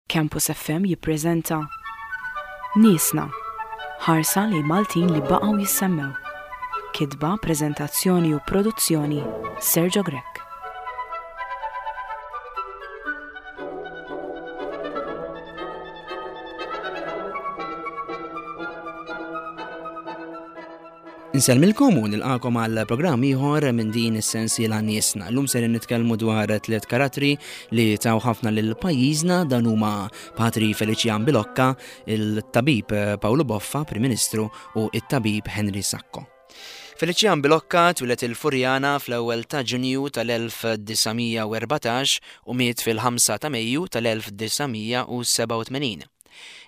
Campus FM jippreżenta Niesna, ħarsa lejn Maltin li baqgħu jissemmew. Kitba, preżentazzjoni u produzzjoni Sergio Grech. Insellmilkom u nilqakom għal programm ieħor minn din is-sensiela niesna. Llum ser nitkellmu dwar tliet karattri li taw ħafna lil pajjiżna dan huma Patri Felician Bilocca, il-tabib Paolo Boffa, Prim Ministru, u it-tabib Henry Sacco. Felician Bilocca twieled il-Furjana fl-ewwel ta' Ġunju tal-1914 u miet fil-5 ta' Mejju tal-1987.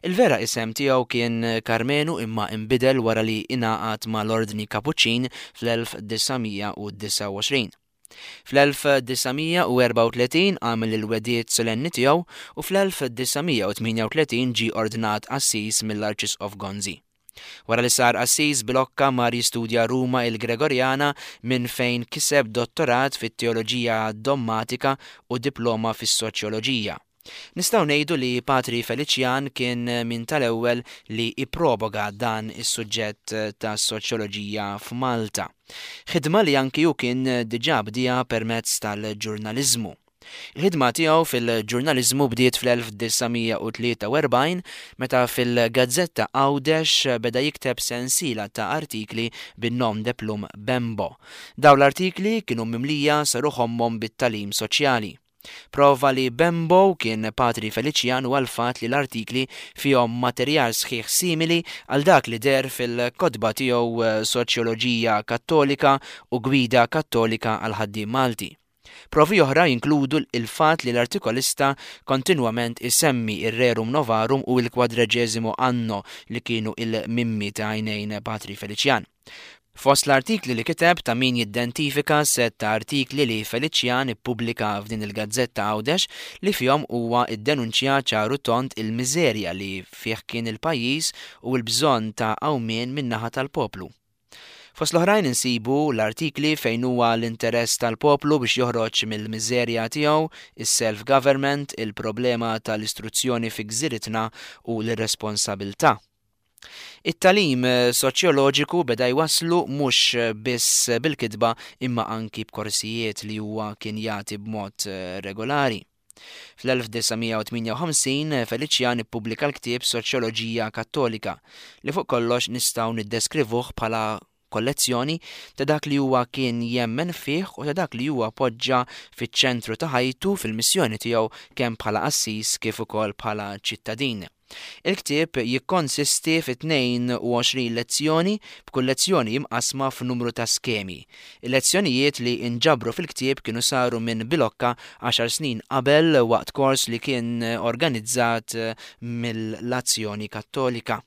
Il-vera isem tiegħu kien Karmenu imma inbidel wara li ingħaqad mal-Ordni Kapuċċin fl-1929. Fl-1934 għamel il-wegħdiet solenni tiegħu u fl-1938 ġie ordnat qassis mill-Arċisqof Gonzi. Wara li sar qassis, Bilocca mar jistudja Ruma il-Gregorjana minn fejn kiseb dottorat fit-teoloġija dommatika u diploma fis-soċjoloġija. Nistgħu ngħidu li Patri Feliċjan kien minn tal-ewwel li ipproboga dan is-suġġett tas-soċjoloġija f'Malta. Ħidma li anki hu kien diġà bdieha permezz tal-ġurnaliżmu. Il-ħidma tiegħu fil-ġurnaliżmu bdiet fl-1943 meta fil-gazzetta Għawdex beda jikteb sensiela ta' artikli bin-nom de plume Bembo. Dawn l-artikli kienu mimlija sa ruħ ommhom bit-tagħlim soċjali. Prova li Bembo kien Patri Feliċjan huwa l-fatt li l-artikli fihom materjal sħiħ simili għal dak li deher fil-kotba tiegħu Soċjoloġija Kattolika u Gwida Kattolika għall-Ħaddiem Malti. Provi oħra jinkludu l-fatt li l-artikolista kontinwament isemmi r-Rerum Novarum u l-Quadragesimo Anno li kienu il-mimmi ta' għajnejn Patri Feliċjan. Fost l-artikli li kiteb ta' min jiddentifika sett ta' artikli li Feliċjan ippubblika f'din il-gazzetta Għawdex li fihom huwa ddenunċja ċar u tond il-miżerja li fih kien il-pajjiż u l-bżonn ta' qawmien min-naħa tal-poplu. Fost l-oħrajn insibu l-artikli fejn huwa l-interess tal-poplu biex joħroġ mill-miżerja tiegħu, is-self-government, il-problema tal-istruzzjoni fi gżiritna u l-irresponsabiltà. It-tagħlim soċjoloġiku beda jwasslu mhux biss bil-kitba imma anki b'korsijiet li huwa kien jagħti b'mod regolari. Fl-1958 Feliċjan ippubblika l-ktieb Soċjoloġija Kattolika, li fuq kollox nistgħu niddeskrivuh bħala kollezzjoni ta' dak li huwa kien jemmen fih u ta' dak li huwa poġġa fiċ-ċentru ta' ħajtu fil-missjoni tiegħu kemm bħala qassis kif ukoll bħala ċittadin. Il-ktieb jikkonsisti fi 22 lezzjoni, b'kull lezzjoni imqassma f'numru ta' skemi. Il-lezzjonijiet li nġabru fil-ktieb kienu saru minn Bilocca għaxar snin qabel waqt kors li kien organizzat mill-Azzjoni Kattolika.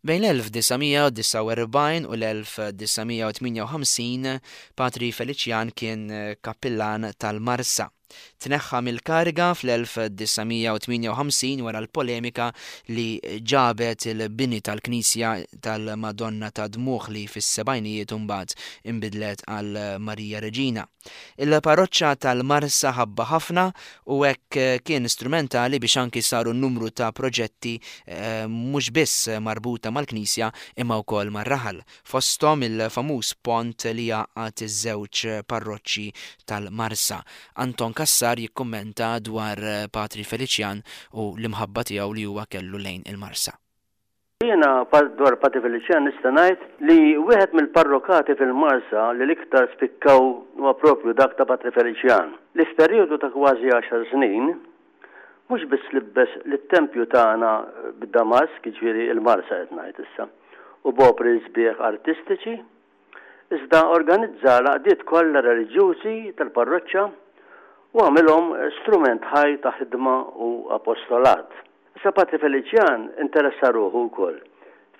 Bejn l-1949 u l-1958 Patri Feliċjan kien kappillan tal-Marsa. Tneħħa mill-kariga fl-1958 wara l-polemika li ġabet il-bini tal-knisja tal-Madonna tad-Dmugħ li fis-sebgħinijiet imbagħad inbidlet għal Marija Reġina. Il-parroċċa tal-Marsa ħabbha ħafna u hekk kien strumentali biex anki saru numru ta' proġetti mhux biss marbuta mal-knisja imma wkoll mar-raħal, fosthom il-famuż pont li jgħaqqad iż-żewġ parroċċi tal-Marsa. Anton Cassar jikkummenta dwar Patri Feliċjan u l-imħabba tiegħu li huwa kellu lejn il-Marsa. Jiena dwar Patri Feliċjan nista' ngħid li wieħed mill-parrokati fil-Marsa li l-iktar spikkaw huwa proprju dak ta' Patri Feliċjan, li f'perjodu ta' kważi għaxar snin mhux biss libbes lit-tempju tagħna bid-damask, jiġifieri l-Marsa qed ngħid issa, u b'opri sbieħ artistiċi, iżda organizza l-għaqdiet kollha reliġjużi tal-parroċċa u għamilhom strument ħaj ta' ħidma u apostolat. Issa Patri Feliċjan interessa ruħu wkoll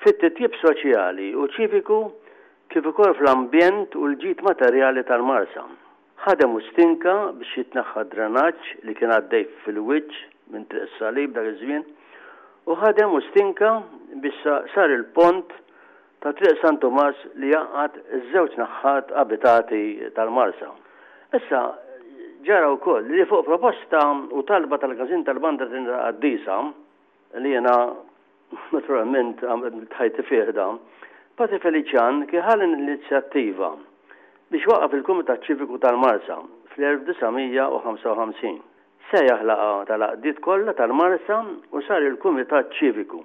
fit-titjib soċjali u ċiviku kif ukoll fl-ambjent u l-ġid materjali tal-Marsa. Ħadem u stinka biex jitneħħa d-drenaġġ li kien għaddej fil-wiċċ minn Triq is-Salib dak iż-żmien u ħadem u stinka biex sar il-pont ta' Triq San Tumas li jgħaqqad iż-żewġ naħħat abitati tal-Marsa. Issa, ġara wkoll li fuq proposta u talba tal-Każin tal-Banda Trinità Qaddisa. li jiena naturalment għamilt ħajti fih dan, Patri Feliċjan kien ħa l-inizjattiva biex waqqaf il-Kumitat Ċiviku tal-Marsa fl-1955. Sejjaħ laqgħa tal-għaqdiet kollha tal-Marsa u sar il-Kumitat Ċiviku,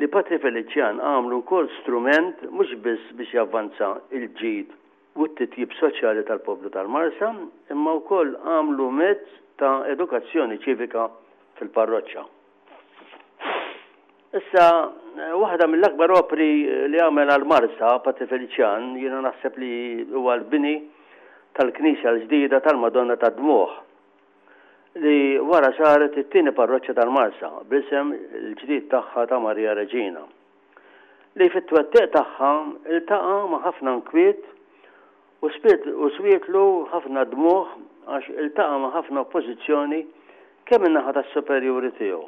li Patri Feliċjan għamlu wkoll strument mhux biss biex javvanza l-ġid u t-titjib soċjali tal-poplu tal-Marsa, imma wkoll għamlu mezz ta' edukazzjoni ċivika fil-parroċċa. Issa, waħda mill-akbar opri li għamel għall-Marsa, Patri Feliċjan, jiena naħseb li huwa l-bini tal-knisja l-ġdida tal-Madonna tad-Dmugħ, li wara saret it-tieni parroċċa tal-Marsa bl-isem il-ġdid tagħha ta' Marija Reġina, li fit-twettiq tagħha ltaqa' ma' ħafna nkwiet u u swietlu ħafna dmugħ għax iltaqa' ma' ħafna oppożizzjoni kemm min-naħa tas-superjuri tiegħu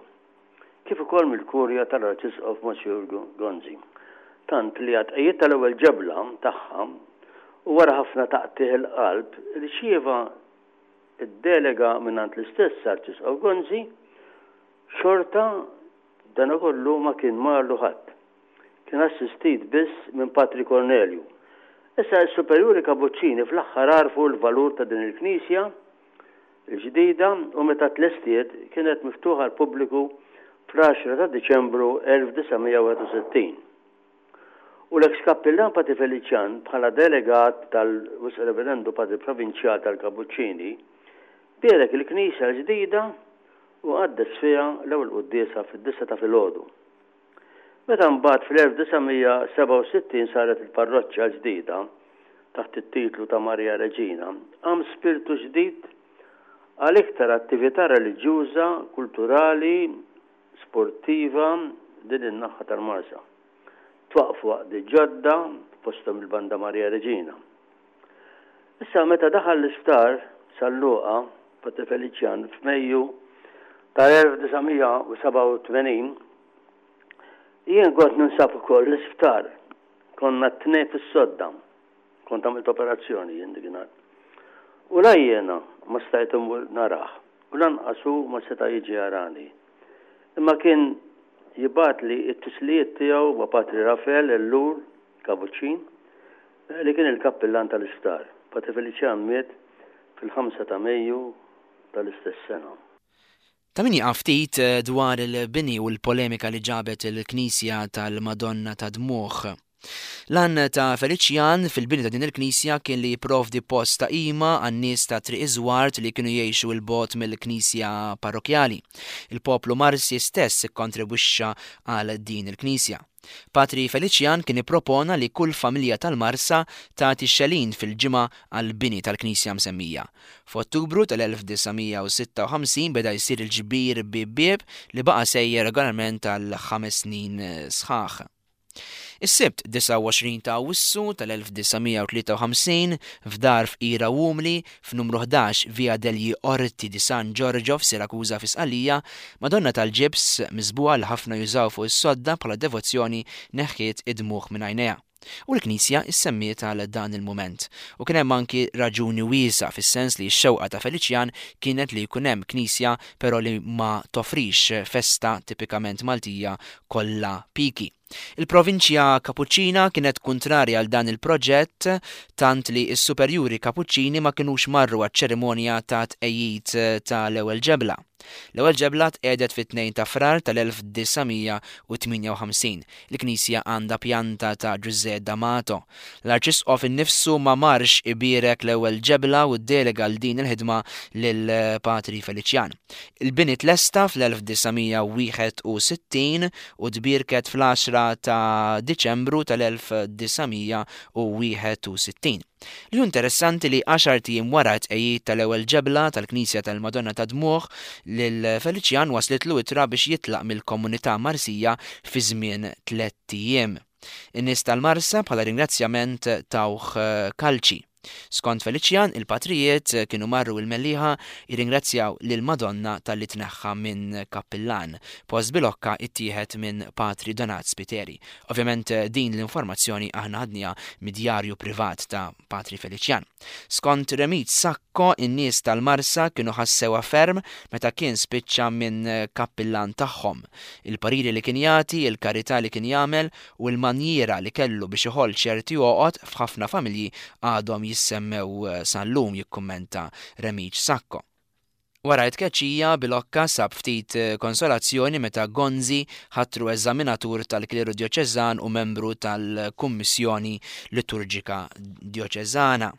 kif ukoll mill-Kurja tal-Arċisqof Monsijur Gonzi. Tant li għat-tqegħid tal-ewwel ġebla tagħha u wara ħafna taqtigħ il-qalb irċieva d-delega mingħand l-istess Arċisqof Gonzi, xorta B'danakollu ma kien marlu ħadd. Kien assistit biss minn Patri Kornelju. Issa s-superjuri Kabuċċini fl-aħħar għarfu l-valur ta' din il-knisja l-ġdida u meta tlestiet kienet miftuħa għall-pubbliku fl-għaxra ta' Diċembru 1961. U l-eks kappillan Patri Feliċjan bħala delegat tal-Wisq Reverendu Patri Provinċjal tal-Kabuċċini bierek il-knisja l-ġdida u qaddes fiha l-ewwel quddiesa fid-disgħa ta' filgħodu. Meta mbagħad fl-1967 saret il-parroċċa l-ġdida taħt it-titlu ta' Marija Reġina, qam spirtu ġdid għal iktar attività reliġjuża, kulturali, sportiva din in-naħa tal-Marsa. Twaqqfu għaqdiet ġodda, fosthom il-Banda Marija Reġina. Issa meta daħal l-isptar San Luqa, Patri Feliċjan, f'Mejju tal-1987, jien kont ninsab ukoll l-isptar. Konna t-tnejn fis-sodda. Kont għamilt operazzjoni jien dikinhar. U la jiena ma stajt immur narah u lanqas hu ma seta' jiġi jarani. Imma kien jibgħatli t-tislijiet tiegħu ma' Patri Rafel Ellul, Kabuċċin, li kien il-kappillan tal-isptar. Patri Feliċjan miet fil-ħamsa ta' Mejju tal-istess sena. Ta' min jieqaf ftit dwar il-bini u l-polemika li ġabet il-knisja tal-Madonna tad-Dmugħ. L-għan ta' Feliċjan fil-bini ta' din il-knisja kien li jipprovdi post ta' qima għan-nies ta' Triq iż-Żward li kienu jgħixu 'l bogħod mill-knisja parrokkjali. Il-poplu Marsi stess ikkontribwixxa għal din il-knisja. Patri Feliċjan kien ippropona li kull familja tal-Marsa tagħti xelin fil-ġimgħa għall-bini tal-knisja msemmija. F'Ottubru tal-1956 beda jsir il-ġbir bieb bieb li baqa' sejjer regolarment għal ħames snin sħaħ. Is-Sibt 29 ta' Awwissu tal-1953, f'dar fqira u umli, f'numru 11 Via degli Orti di San Giorgio f'Siracusa fi Sqallija, Madonna tal-ġibs miżbugħa li ħafna jużaw fuq is-sodda bħala devozzjoni neħħiet id-dmugħ minn għajnejha. U l-knisja ssemmiet għal dan il-mument. U kien hemm anki raġuni wiesgħa fis-sens li x-xewqa ta' Feliċjan kienet li jkun hemm knisja però li ma toffrix festa tipikament Maltija kollha piki. Il-Provinċja Kapuċċina kienet kuntrarja għal dan il-proġett tant li s-superjuri Kapuċċini ma kinux marru għaċ-ċerimonja ta' tqegħid ta' l-ewwel ġebla. L-ewwel ġebla tqiegħdet fit-2 ta' Frar tal-1958. Il-knisja għandha pjanta ta' Ġużè D'Amato. L-Arċisqof innifsu ma marx ibierek l-ewwel ġebla u ddelega l din il-ħidma lil Patri Feliċjan. Il-bini tlesta fl-1961 u tbierket fl-għaxra ta' Diċembru tal-1961. Li hu interessanti li għaxart ijiem wara t-tqegħid tal-ewwel ġebla tal-knisja tal-Madonna tad-Dmugħ, lil Feliċjan waslitlu ittra biex jitlaq mill-komunità Marsija fi żmien tlett ijiem. In-nies tal-Marsa bħala ringrazzjament tawh kalċi. Skont Feliċjan, il-patrijiet kienu marru il-Mellieħa jirringrazzjaw lill-Madonna talli tneħħa minn kappillan. Post Bilocca ittieħed minn Patri Donat Spiteri. Ovvjament din l-informazzjoni aħna ħadniha mid-djarju privat ta' Patri Feliċjan. Skont Remit Sacco, in-nies tal-Marsa kienu ħassewha ferm meta kien spiċċa minn kappillan tagħhom. Il-pariri li kien jagħti, il-karità li kien jagħmel u l-manjiera li kellu biex iħoll ċerti għoqod f'ħafna familji għadhom jissemmew sal-lum, jikkummenta Remit Sacco. Wara t-tkeċċija, Bilocca sab ftit konsolazzjoni meta Gonzi ħatru eżaminatur tal-kleru djoċeżan u membru tal-Kummissjoni Liturġika Djoċeżana.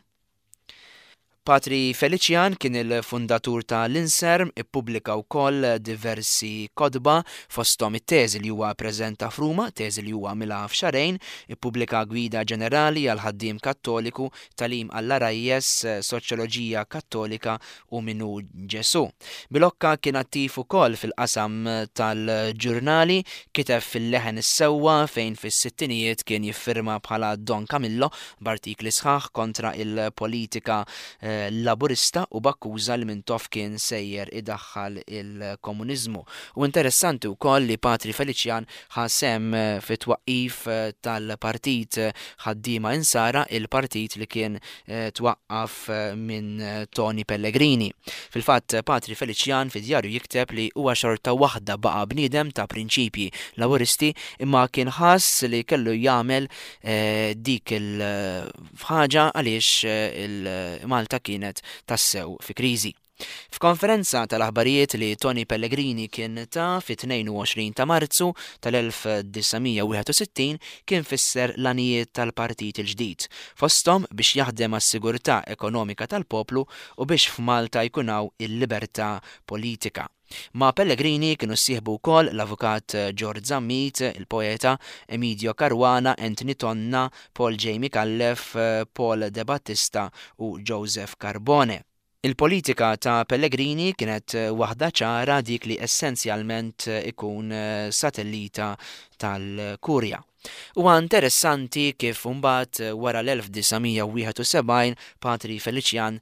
Patri Feliċjan kien il-fundatur ta' l-Inserm, ippubblika wkoll diversi kotba, fosthom it-teżi li huwa ppreżenta f'Ruma, teżi li huwa għamilha f'xahrejn, ippubblika Gwida Ġenerali għall-Ħaddiem Kattoliku, Tagħlim għall-Għarajjes, Soċjoloġija Kattolika u min hu Ġesù. Bilocca kien attiv ukoll fil-qasam tal-ġurnali, kiteb fil-Leħen is-Sewwa fejn fis-sittinijiet kien jiffirma bħala Don Camillo b'artikli sħaħ kontra il-politika Laburista u b'akkuża li Mintoff kien sejjer idaħħal il-komuniżmu. U interessanti wkoll li Patri Feliċjan ħa sehem fit-twaqqif tal-Partit Ħaddiema Insara, il-partit li kien twaqqaf minn Toni Pellegrini. Fil-fatt, Patri Feliċjan fid-djarju jikteb li huwa xorta waħda baqa' bniedem ta' prinċipji Laburisti imma kien ħass li kellu jagħmel dik il-ħaġa għaliex Malta kienet tassew fi kriżi. F'konferenza tal-aħbarijiet li Toni Pellegrini kien ta fit-22 ta' Marzu tal-1961 kien fisser l-għanijiet tal-partit il-ġdid, fosthom biex jaħdem għas-sigurtà ekonomika tal-poplu u biex f'Malta jkun hawn il-libertà politika. Ma' Pellegrini kienu ssieħbu wkoll l-Avukat George Zammit, il-poeta, Emidio Caruana, Anthony Tonna, Paul J. Micallef, Paul Debattista u Joseph Carbone. Il-politika ta' Pellegrini kienet waħda ċara, dik li essenzjalment ikun satellita tal-Kurja. Huwa interessanti kif imbagħad wara l-1971 Patri Feliċjan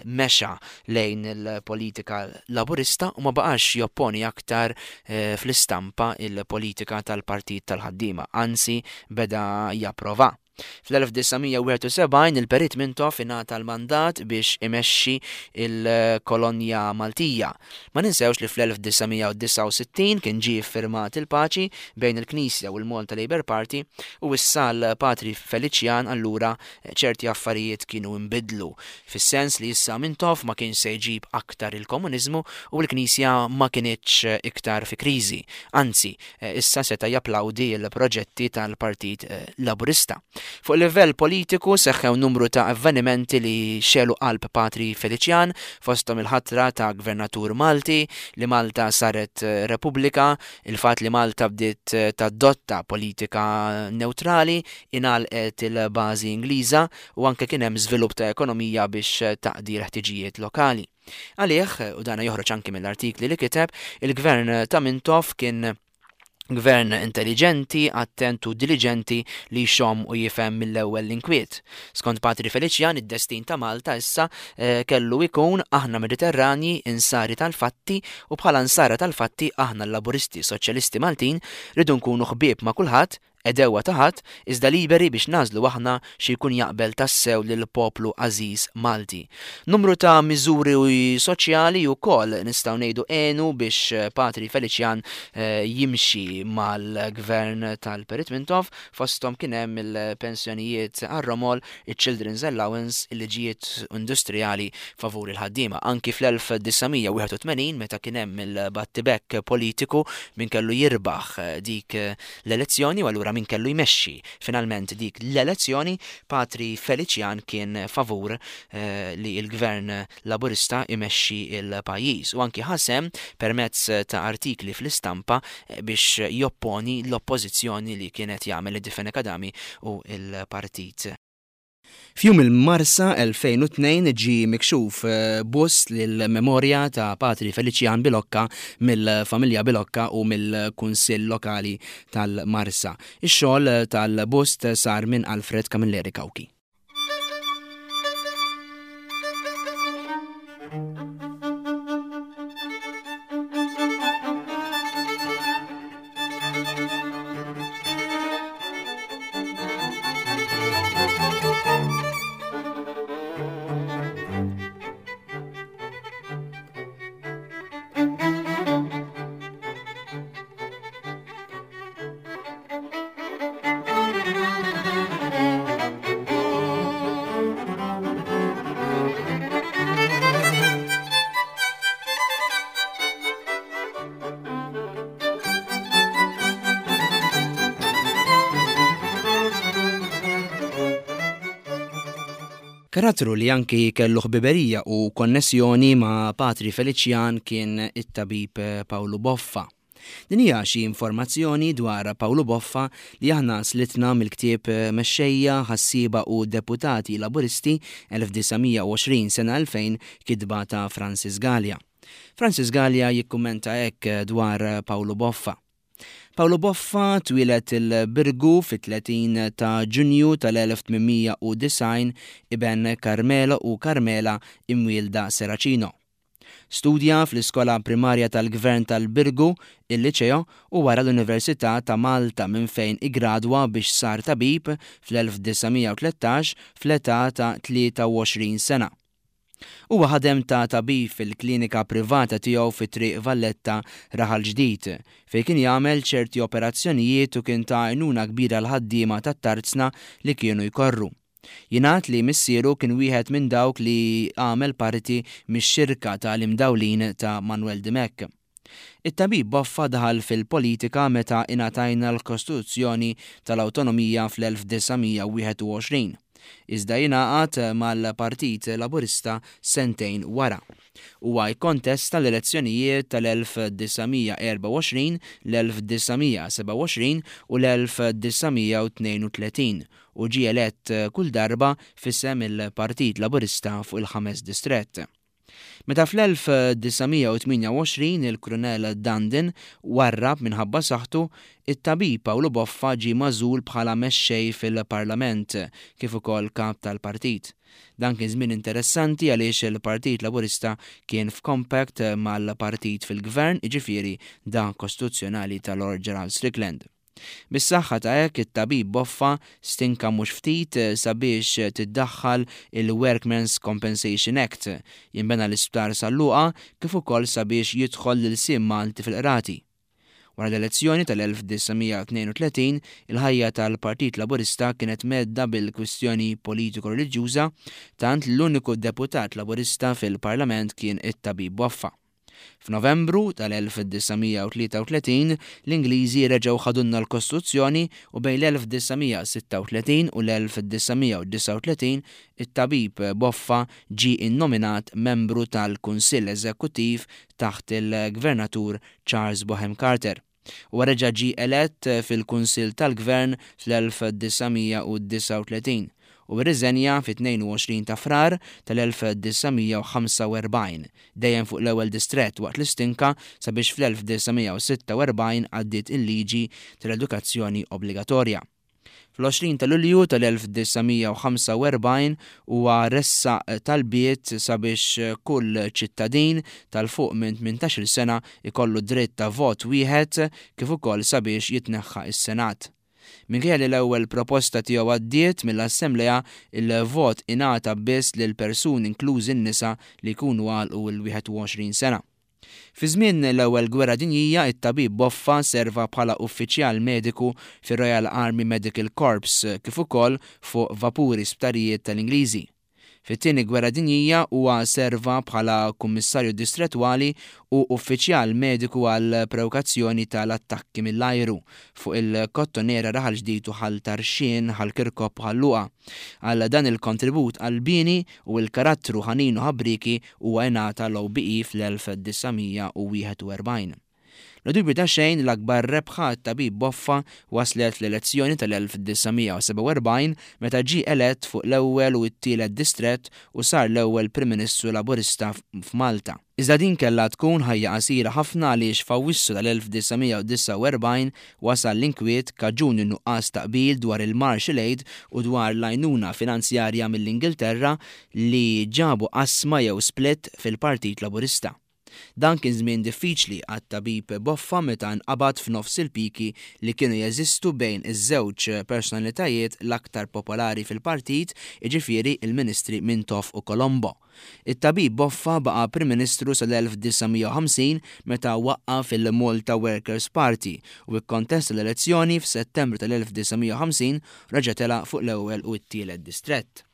mexa lejn il-politika Laburista u ma baqax jopponi aktar fl-istampa il-politika tal-Partit tal-Ħaddiema, anzi beda japprova. Fl-1971 il-Perit Mintoff ingħata l-mandat biex imexxi l-kolonja Maltija. Ma ninsewx li fl-1969 kien ġie ffirmat il-paċi bejn il-Knisja u l-Malta Labour Party u issa l-Patri Feliċjan allura ċerti affarijiet kienu nbidlu fis-sens li issa Mintoff ma kienx se jġib aktar il-komuniżmu u l-Knisja ma kinitx iktar fi kriżi. Anzi, issa seta' japplawdi l-proġetti tal-Partit Laburista. Fuq livell politiku seħħew numru ta' avvenimenti li xegħlu qalb Patri Feliċjan, fosthom il-ħatra ta' Gvernatur Malti, li Malta saret Repubblika, il-fatt li Malta bdiet tadotta politika newtrali, ingħalqet il-bażi Ingliża u anke kien hemm żvilupp ta' ekonomija biex taqdi l-ħtiġijiet lokali. Għalih, u dana joħroġ anki mill-artikli li kiteb, il-gvern ta' Mintoff kien gvern intelliġenti, attent u diliġenti li jxomm u jifhem mill-ewwel l-inkwiet. Skont Patri Feliċjan, id-destin ta' Malta issa eh, kellu jkun aħna Mediterranji insari tal-fatti u bħala nsara tal-fatti aħna l-Laburisti Soċjalisti Maltin rridu nkunu ħbieb ma' kulħadd għedewwa ta' ħadd, iżda liberi biex nagħżlu aħna xi jkun jaqbel tassew lill-poplu għażiż Malti. Numru ta' miżuri soċjali wkoll nistgħu ngħidu għenu biex Patri Feliċjan jimxi mal-Gvern tal-Perit Mintoff, fosthom kien hemm il-pensjonijiet għar-romol, iċ-children's allowance, il-liġijiet industrijali favur il-ħaddiema. Anki fl-1981 meta kien hemm il-battibekk politiku min kellu jirbaħ dik l-elezzjoni u allura min kellu jmexxi finalment dik l-elezzjoni, Patri Feliċjan kien favur li l-Gvern Laburista jmexxi l-pajjiż u anki ħa sehem permezz ta' artikli fl-istampa biex jopponi l-oppożizzjoni li kien qed jagħmel id-Difene Kadami u l-Partit F'Jum il-Marsa 2002 ġie mikxuf bust lill-memorja ta' Patri Feliċjan Bilocca mill-familja Bilocca u mill-Kunsill Lokali tal-Marsa. Ix-xogħol tal-bust sar minn Alfred Camilleri Cauchi. Karattru li anki kellu ħbiberija u konnessjoni ma' Patri Feliċjan kien it-tabib Pawlu Boffa. Din hija xi informazzjoni dwar Pawlu Boffa li aħna slitna mill-ktieb Mexxejja, Ħassieba u Deputati Laburisti 1920 sena 2000 kitba ta' Francis Galea. Francis Galea jikkummenta hekk dwar Pawlu Boffa. Pawlu Boffa twieled il-Birgu fit-30 ta' Ġunju tal-1890, iben Carmelo u Carmela imwielda Seracino. Studja fl-Iskola Primarja tal-Gvern tal-Birgu, il-Liċeo, u wara l-Università ta' Malta minn fejn iggradwa biex sar tabib fl-1913 fl-età ta' 23 sena. Huwa ħadem ta' tabib fil-klinika privata tiegħu fi Triq Valletta, Raħal Ġdid, fejn kien jagħmel ċerti operazzjonijiet u kien ta' għajnuna kbira għall-ħaddiema tat-tarzna li kienu jkorru. Jingħad li missieru kien wieħed minn dawk li għamel parti mix-xirka ta' l-imdawlin ta' Manwel Dimech. It-tabib Boffa daħal fil-politika meta ingħatajna l-Kostituzzjoni tal-Awtonomija fl-1921, iżda ingħaqad mal-Partit Laburista sentejn wara. Huwa kkontesta l-elezzjonijiet tal-1924, l-1927 u l-1932 u ġie elett kull darba f'isem il-Partit Laburista fuq il-Ħames Distrett. Meta fl-1928 il-Krunell Dandin warrab minħabba saħħtu, it-tabib Pawlu Boffa ġie magħżul bħala mexxej fil-Parlament kif ukoll kap tal-partit. Dan kien żmien interessanti għaliex il-Partit Laburista kien f'compact mal-partit fil-gvern, jiġifieri dak kostituzzjonali ta' Lord Gerald Strickland. Bis-saħħa ta' hekk it-tabib Boffa stinka mhux ftit sabiex tiddaħħal il-Workmen's Compensation Act, jinbena l-Isptar San Luqa kif ukoll sabiex jidħol l-ilsien Malti fil-qrati. Wara l-elezzjoni tal-1932 il-ħajja tal-Partit Laburista kienet mhedda bil-kwistjoni politiko-reliġjuża tant li l-uniku deputat Laburista fil-Parlament kien it-tabib Boffa. F'Novembru tal-1933, l-Ingliżi reġgħu ħadulna l-Kostituzzjoni u bejn l-1936 u l-1939 it-tabib Boffa ġie innominat membru tal-Kunsill Eżekuttiv taħt il-Gvernatur Charles Bonham Carter. Huwa reġa' ġie elett fil-Kunsill tal-Gvern fl-1939 u rriżenja fit-22 ta' Frar tal-1945, dejjem fuq l-ewwel distrett waqt l-istinka sabiex fl-1946 għaddiet il-liġi tal-edukazzjoni obbligatorja. Fl-20 ta' Lulju tal-1945 huwa ressaq talbiet sabiex kull ċittadin ta' 'l fuq minn tmintax-il sena jkollu dritt ta' vot wieħed kif ukoll sabiex jitneħħa s-Senat. Minkejja li l-ewwel proposta tiegħu għaddiet mill-Assemblea, il-vot ingħata biss lil persuni inklużi n-nisa li jkunu għalqu l-21 sena. Fi żmien l-Ewwel Gwerra Dinjija, it-tabib Boffa serva bħala uffiċjal mediku fir-Royal Army Medical Corps kif ukoll fuq vapuri sptarijiet tal-Ingliżi. Fit-Tieni Gwerra Dinjija huwa serva bħala kummissarju distrettwali u uffiċjal mediku għall-prewkazzjoni tal-attakki mill-ajru fuq il-Kottonera Raħal Ġdid u Ħal Tarxien, Ħal Kirkop u Ħal Luqa. Għal dan il-kontribut qalbieni u l-karattru ħanin u ħabrieki Huwa ingħata l-OBE fl-1941. Bla dubju ta' xejn, l-akbar rebħa għat-tabib Boffa waslet fl-elezzjoni tal-1947 meta ġie elett fuq l-ewwel u t-tielet distrett u sar l-ewwel Prim Ministru Laburista f'Malta. Iżda din kellha tkun ħajja qasira ħafna għaliex f'Awwissu tal-1949 wasal l-inkwiet kaġun in-nuqqas ta' qbil dwar il-Marshall Aid u dwar l-għajnuna finanzjarja mill-Ingilterra li ġabu qasma jew split fil-Partit Laburista. Dan kien żmien diffiċli għat-tabib Boffa meta nqabad f'nofs il-piki li kienu jeżistu bejn iż-żewġ personalitajiet l-aktar popolari fil-partit, jiġifieri l-Ministri Mintoff u Colombo. It-tabib Boffa baqa' Prim Ministru sal-1950 meta waqqaf il-Malta Workers' Party u kkontesta l-elezzjoni f'Settembru tal-1950 reġa' tela' fuq l-ewwel u t-tielet distrett.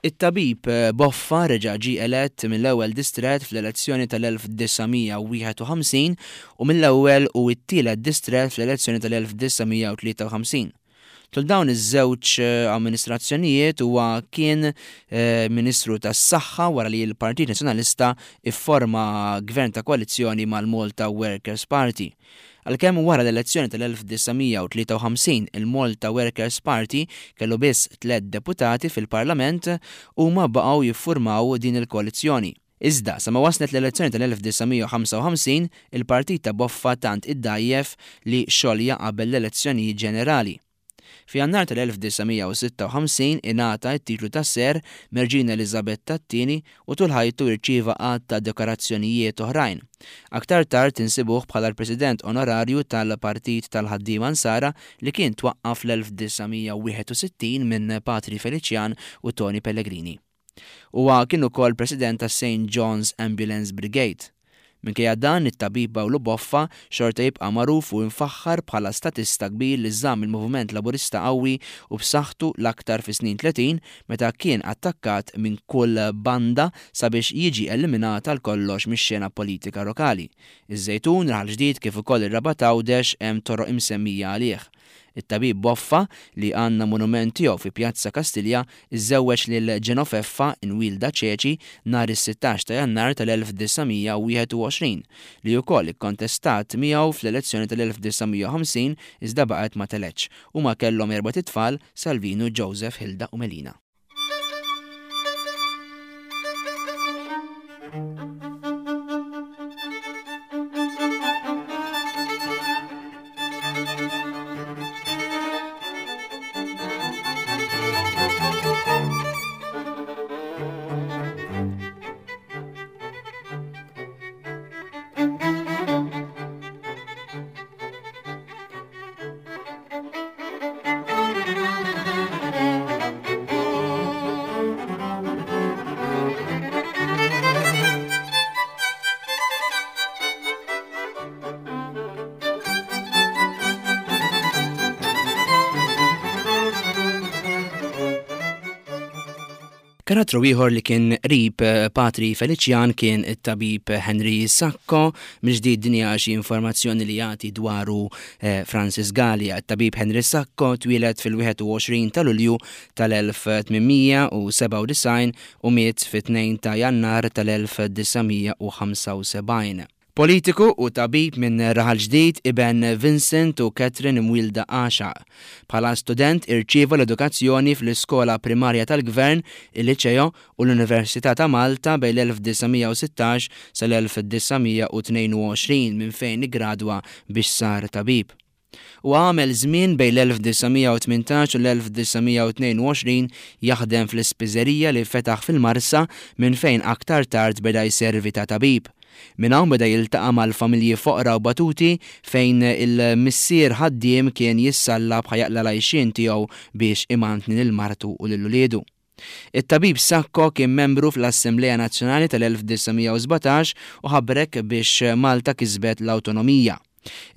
It-tabib Boffa reġa' ġie elett mill-ewwel distrett fl-elezzjoni tal-1951 u mill-ewwel u t-tielet distrett fl-elezzjoni tal-1953. Tul dawn iż-żewġ amministrazzjonijiet huwa kien Ministru tas-Saħħa wara li l-Partit Nazzjonalista fforma gvern ta' koalizzjoni mal-Malta Workers' Party. Għalkemm wara l-elezzjoni tal-1953 il-Malta Workers' Party kellu biss tlett deputati fil-Parlament, huma baqgħu jiffurmaw din il-koalizzjoni. Iżda, sa ma waslet l-elezzjoni tal-1955, il-partit ta' Boffa tant iddgħajjef li xolja qabel l-elezzjonijiet ġenerali. Fi Jannar tal-1956 ingħata t-titlu ta' Sir mir-Reġina Eliżabetta t-Tieni u tul ħajtu irċieva għadd ta' dekorazzjonijiet oħrajn. Aktar tard insibuh bħala l-President Onorarju tal-Partit tal-Ħaddiema Nsara li kien twaqqaf fl-1961 minn Patri Feliċjan u Toni Pellegrini. Huwa kien ukoll President tas-St John's Ambulance Brigade. Minkejja dan, it-tabib Pawlu Boffa xorta jibqa' magħruf u imfaħħar bħala statista kbir li żamm il-moviment Laburista qawwi u b'saħħtu l-aktar fis-snin 30 meta kien attakkat minn kull banda sabiex jiġi eliminat għal kollox mix-xena politika lokali. Iż-Żejtun, Raħal Ġdid kif ukoll ir-Rabat Għawdex hemm toroq imsemmija għalih. It-tabib Boffa, li għandna monument tiegħu fi Pjazza Kastilja, iżżewweġ lil Ġenofeffa Inwilda Ċeċi nhar is-sittax ta' Jannar tal-1921, li wkoll ikkontestat miegħu fl-elezzjoni tal-1950 iżda baqgħet ma telgħetx. Huma kellhom erbat itfal, Salvinu, Joseph, Hilda u Melina. Karattru ieħor li kien qrib eh, Patri Feliċjan kien it-tabib Henry Sacco, mill-ġdid din hija xi informazzjoni li jagħti dwaru eh, Francis Galea. It-tabib Henry Sacco twieled fil-21 ta' Lulju tal-1897 u miet fit-2 ta' Jannar tal-1975. Politiku u tabib minn Raħal Ġdid, iben Vincent u Catherine imwielda Għaxaq. Bħala student irċieva l-edukazzjoni fl-iskola primarja tal-Gvern, il-Liċeo, u l-Università ta' Malta bejn l-1916 sal-1922 minn fejn iggradwa biex sar tabib. Huwa għamel żmien bejn l-1918 u l-1922 jaħdem fl-ispiżerija li fetaħ fil-Marsa minn fejn aktar tard beda jservi ta' tabib. Minn hawn beda jiltaqa' mal-familji foqra u batuti fejn il-missier ħaddiem kien jissallab ħa jaqla' l-għajxien tiegħu biex imantni lil martu u lil uliedu. It-tabib Sacco kien membru fl-Assemblea Nazzjonali tal-1917 u ħabrek biex Malta kisbet l-awtonomija.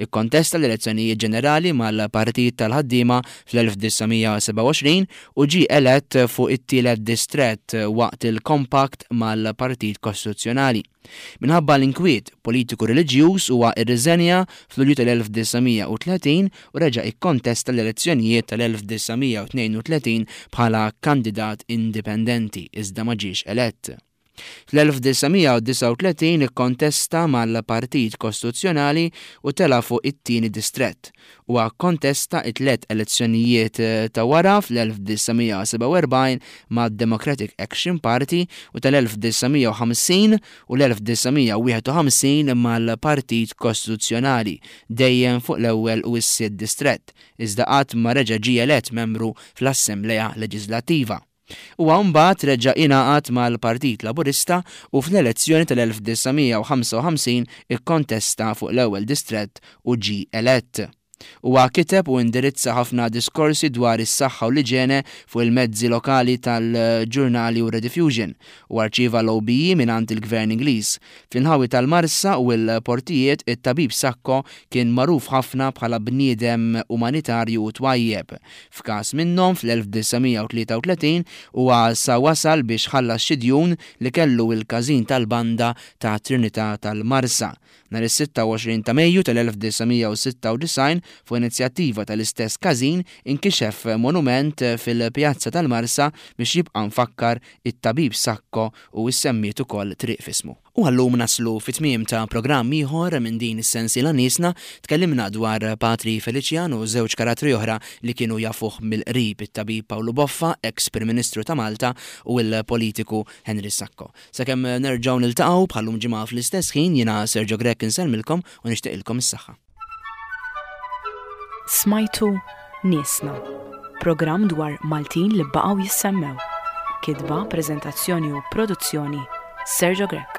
Ikkontesta l-elezzjonijiet ġenerali mal-Partit tal-Ħaddiema fl-1927 u ġie elett fuq it-tielet distrett waqt il-Compact mal-Partit Kostituzzjonali. Minħabba l-inkwiet politiku-reliġjuż huwa rriżenja f'Lulju tal-1930 u reġa' ikkontesta l-elezzjonijiet tal-1932 bħala kandidat indipendenti iżda ma ġiex elett. Fl-1939 ikkontesta mal-Partit Kostituzzjonali u tela' fuq it-tieni distrett. Huwa kkontesta t-tliet elezzjonijiet ta' wara fl-1947 mad-Democratic Action Party u tal-1950 u l-1951 mal-Partit Kostituzzjonali, dejjem fuq l-ewwel u s-sitt distrett, iżda qatt ma reġa' ġie elett membru fl-Assemblea Leġiżlattiva. Huwa mbagħad reġa' ingħaqad mal-Partit Laburista u fl-elezzjoni tal-1955 ikkontesta fuq l-ewwel distrett u ġie elett. Huwa kiteb u indirizza ħafna diskorsi dwar is-saħħa u l-iġene fuq il-mezzi lokali tal-ġurnali u r-Rediffusion. Huwa rċieva l-OBE mingħand il-Gvern Ingliż. Fl-inħawi tal-Marsa u l-portijiet, it-tabib Sacco kien magħruf ħafna bħala bniedem umanitarju u twajjeb. F'każ minnhom, fl-1933, huwa sa wasal biex ħallas xi djun li kellu l-każin tal-banda ta' Trinità tal-Marsa. Nhar is-26 ta' Mejju tal-1996, fuq inizjattiva tal-istess każin, inkixef monument fil-Pjazza tal-Marsa biex jibqa' mfakkar it-tabib Sacco u issemmiet ukoll triq f'ismu. U għal-lum naslu fit-tmiem ta' programm ieħor minn din is-sensiela Niesna. Tkellimna dwar Patri Feliċjan u żewġ karattri oħra li kienu jafuh mill-qrib, it-tabib Pawlu Boffa, eks Prim Ministru ta' Malta, u l-politiku Henry Sacco. Sakemm nerġgħu niltaqgħu bħal-lum ġimgħa fl-istess ħin, jiena Sergio Grech insellmilkom u nixtieqilkom is-saħħa. Smajtu Niesna, programm dwar Maltin li baqgħu jissemmew. Kitba, preżentazzjoni u produzzjoni Sergio Grech.